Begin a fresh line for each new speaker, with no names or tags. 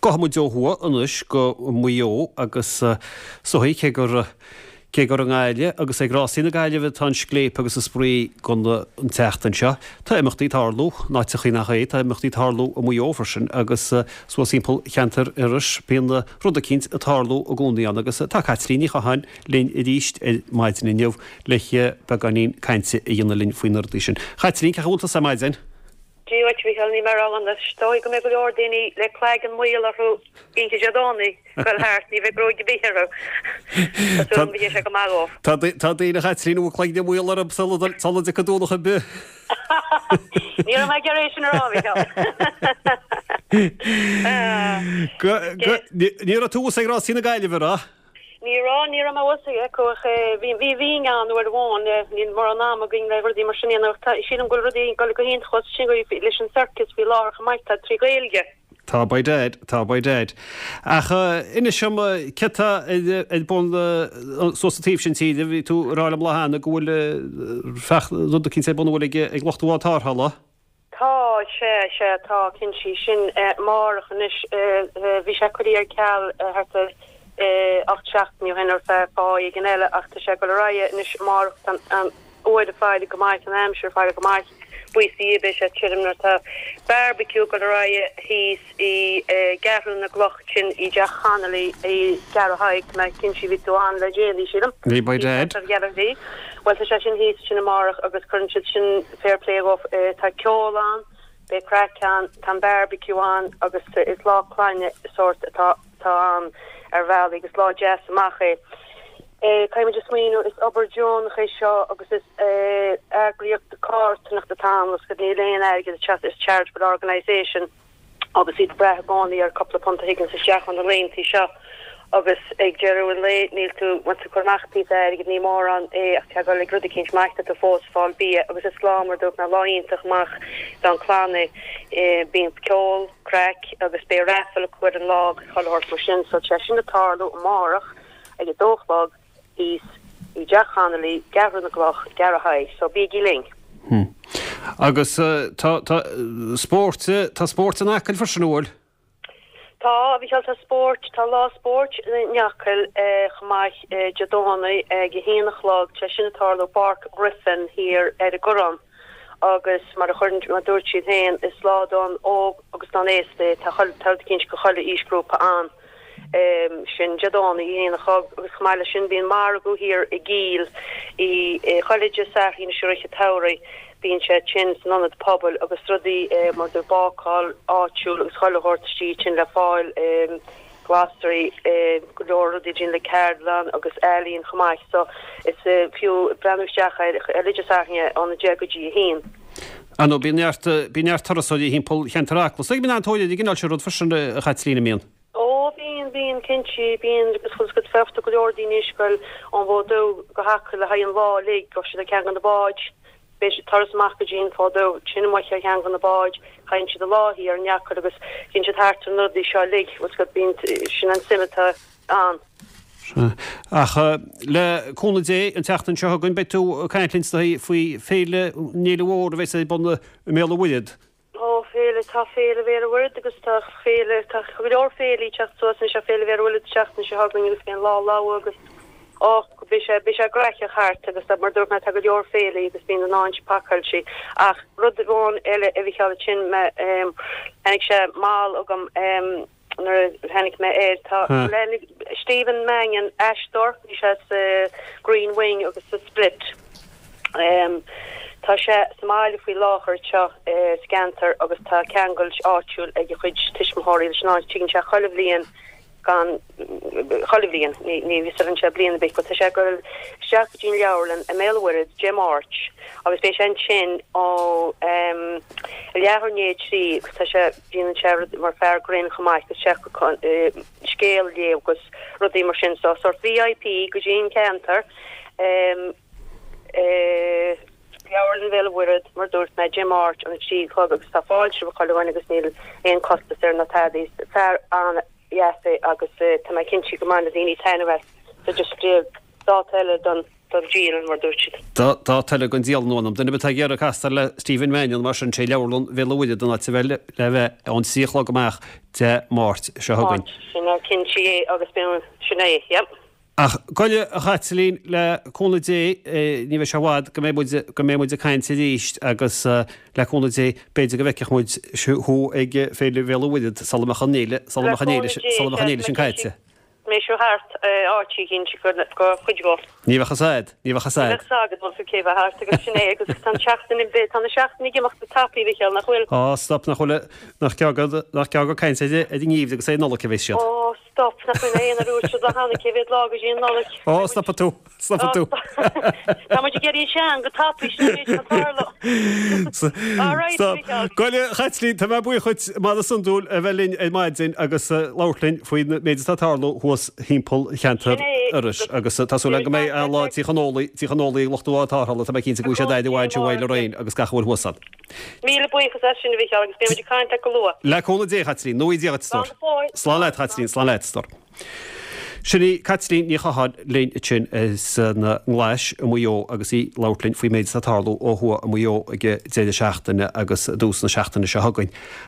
Gabhfaidh muid ó thuaidh anois go Maigh Eo agus is dóigh cé gur cé gur i nGaillimh agus ag Rásaí na Gaillimhe atá an scléip agus an spraoi don an tseachtain seo, tá imeachtaí ag tarlú in áiteachaí nach é, tá imeachtaí ag tarlú i Maigh Eo freisin agus suas thimpeall cheantar Iorrais bíonn rud eicínt ag tarlú i gcónaí ann agus tá Caitlín Ní Chatháin linn arís ar maidin inniu le beagáinín cainte a dhéanamh linn faoi na rudaí sin. Chaitlín, cén chaoi a bhfuil tusa ar maidin?
Dia dhuit, a Mhícheáil, níl mé ródhona. Is dóigh go mbeidh go leor daoine le cloigeann maol orthu oíche Dé Domhnaigh ag dul thart, ní bheidh gruaig ar bith orthu. Tá súil agam go dtéann sé go maith
dhóibh. Tá daoine, a Chaitlín, a bhfuil cloigne maol orthu sula dtiocfaidh Domhnach ar bith.
Ní raibh mé ag iarraidh é sin a rá, a Mhícheáil.
Ní raibh tú thuas ag Rásaí na Gaillimhe, an raibh?
Ní raibh, ní raibh mé thuas acu ach bhí, bhí, bhínn ann uair amháin, níl mórán ama againn le rudaí mar sin a dhéanamh ach tá, sílim go bhfuil rudaí ag dul go hiontach thuas ansin leis an circus faoi láthair chomh maith, tá 3 Ghaeilge.
Tá by dad, tá by dad. Ach inis dom, céard tá ar bun suas an taobh sin tíre, bhí tú ag rá liom lá cheana go bhfuil feach, rud eicínt ar bun an bhfuil ag lucht an bhád tarrthála?
Tá, sea, sea, tá, cinnte, sin amárach anois, bhí sé curtha ar ceal thart ar 8 seachtainí ó shin ar feadh fáth éigin eile ach tá sé ag dul ar aghaidh anois amárach, tá an uair ag faire go maith, an aimsir ag faire go maith, buíochas do Dhia beidh sé tirim nuair atá barbecue ag dul ar aghaidh thíos i gCeathrú na gCloch sin i dTeach Connolly i gCeathrú Thaidhg, tá mé cinnte bhí tú ann le déanaí sílim.
Bhí by dad.
Bhí. Bhuel tá sé sin thíos ansin amárach agus cuireann siad sin fair play dhóibh. Tá ceol ann, beidh craic ann, tá an barbecue ann agus is lá clainne sórt atá atá ann ar bhealaí agus lá deas amach é. Caithfidh muid a smaoineamh, is obair deonach é seo agus is eagraíocht carthanachta atá ann agus níl aon airgead ag teacht, is charitable organisation. agus iad ag brath i gcónaí ar cúpla punt a thigeanns isteach ó na laethanta seo agus ag deireadh an lae níl tú, má tá tú ag cur amach píosa airgid ní mórán é ach tá ag dul ag rud eicínt maith tá tú fós ag fáil bia agus is lá mar dúirt mé lá iontach amach don chlann é. Bíonn ceol, craic agus beidh raffle acu ar an lá agus chuile shórt mar sin so tá sé sin ag tarlú amárach ag a dó a chlog. thíos i dTeach Connolly, gCeathrú na gCloch, gCeathrú Thaidhg, so bígí linn!
Hmm. Agus tá, tá spórt, tá spórt in Acaill freisin, an bhfuil?
Tá, a Mhícheáil, tá spórt, tá lá spóirt in Acaill chomh maith Dé Domhnaigh ag a haon a chlog, tá sin ag tarlú i bPáirc Ghriffin thiar ar an gCoireán agus mar a chuireann, mar a dúirt siad féin, is lá don óg agus don aosta é, tá chuile, tá rud eicínt do chuile aoisghrúpa ann. sin Dé Domhnaigh, a haon a chlog agus chomh maith leis sin bíonn margadh thiar i gCill i chuile Dé Sathairn anois i rith an tsamhraidh bíonn sé ansin san ionad pobail agus rudaí mar do bácáil áitiúil agus chuile shórt istigh ansin le fáil glasraí go leor rudaí déanamh le ceardlann agus ealaín chomh maith so is fiú breathnú isteach air chuile Dé Sathairn óna 10 go dtí a haon.
Ar ndóigh, bíonn neart, bíonn neart turasóirí thimpeall cheantar Acla. Is bíonn an-tóir ar an gcineál sin rud freisin, a Chaitlín, an mbíonn?
Ó, bíonn, bíonn, cinnte, bíonn agus bhfuil 's agat féachtar go leor daoine anois ag goil ón bhFód Dubh go hAcaill le haghaidh an lá uilig, gabhfaidh siad ar cheann de na báid, beidh siad turas amach go dtí an Fód Dubh, sin amuigh ar cheann de na báid, caitheann siad an lá thiar in Acaill agus téann siad thart ar na rudaí seo uilig, bhfuil 's agat, bíonn, sin an suim atá ann.
Sea. Ach le cúnamh Dé, an tseachtain seo chugainn, beidh tú ag caint linn is dóigh faoi Féile, an fhéile mhór a bheas ar bun i mBéal an Mhuirthead.
Ó, féile, tá Féile Bhéal an Mhuirthead agus tá féile, tá go leor féilí ag teacht suas anois, tá Féile Bhéal an Mhuirthead an tseachtain seo chugainn agus beidh an Lá Lobhar agus, ó, beidh sé, beidh sé graitheach thart agus mar a dúirt mé, tá go leor féilí agus bíonn an áit pacáilte. Ach rud amháin eile a Mhícheáil, ansin, mé, tháinig sé mall agam, nuair a tháinig mé air. Tá Stephen Mangan, aisteoir, bhí sé sa Green Wing agus sa Split. Tá sé sa mbaile faoi láthair anseo sa gceantar agus tá ceangal áitiúil ag a chuid tuismitheoirí leis an áit. Tigeann sé chuile bhliain gan chuile bhliain, ní mhiosálann sé bliain ar bith, but tá sé ag dul isteach go dtí an leabharlann i mBéal an Mhuirthead Dé Máirt agus beidh sé ansin ó leathuair i ndiaidh a 3 agus tá sé Déanann sé rud mar fear grinn chomh maith agus sé scéal a léamh agus rudaí mar sin so sort VIP go dtí an ceantar Leabharlann Bhéal an Mhuirthead mar dúirt mé Dé Máirt ón 3 a chlog agus tá fáilte roimh chuile dhuine agus níl aon costas air ná tada. Is fear an-dheas é agus tá mé cinnte go mbainfidh daoine taitneamh as so just dáta eile don. Don dialann, mar dúirt siad.
Dá toilleadh don dialann uanam. Duine ar bith atá ag iarraidh castáil le Stephen Mannion mar sin, sé Leabharlann Bhéal an Mhuirthead an áit a bheith le bheith ón 3 a chlog amach Dé Máirt seo chugainn.
Máirt, sin é, cinnte é agus bíonn, sin é, yep.
Ach gabh i leith, a Chaitlín, le cúnamh Dé, ní bheidh sé i bhfad go mbeidh muid, go mbeidh muid ag caint arís agus le cúnamh Dé, b'fhéidir go bhfeicfeadh muid thú ag Féile Bhéal an Mhuirthead sula mbeadh an fhéile, sula mbeadh an fhéile, sula mbeadh an fhéile sin caite.
Mbeidh seo thart áit éigin go chuid go.
Ní bheadh fhios a'd, ní bheadh fhios
a'd. Ní bheadh fhios agat bhfuil tú cé bheith thart agus sin é agus tá an tseachtain tá na seachtainí ag imeacht go tapaidh a Mhichíl, nach bhfuil?
Á, stop, nach bhfuil, nach gearr, nach gearr gur caint ar an ngeimhreadh agus ar an Nollaig a bheas siad.
Ó, stop, nach bhfuil aon ar úr siad le hAnna cé mhéad lá go dtí an Nollaig?
Ó, stopfaidh tú. Stopfaidh tú.
Tá muid ag éirí sean go tapaidh sin an méid atá ag tarlú. All right,
Stop.
Micheál.
Gabh i leith, a Chaitlín, tá mé buíoch dhuit mar is iondúil a bheith linn ar maidin agus labhairt linn faoin méid atá ag tarlú thuas thimpeall cheantar
Sin é.
Iorrais agus tá súil agam go mbeidh an-lá Tí Chonólaigh, Tí Chonólaigh ag lucht an bháid tarrthála, tá mé cinnte go bhfuil siad aire mhaith ansin uaidh Lorraine agus gach a bhfuil thuas ann.
Míle buíochas as sin, a Mhicheál, agus beidh muid ag caint leat go luath.
Le cúnamh Dé, a Chaitlín. Nó Dia dhuit, a
Slán
stór.
go fóill.
Slán leat, a Chaitlín, slán leat, a stór. Sin í Caitlín Ní Chatháin linn ansin as an nGlais i Maigh Eo agus í ag labhairt linn faoin méid atá ag tarlú ó thuaidh i Maigh Eo ag deireadh seachtaine agus i dtús na seachtaine seo chugainn.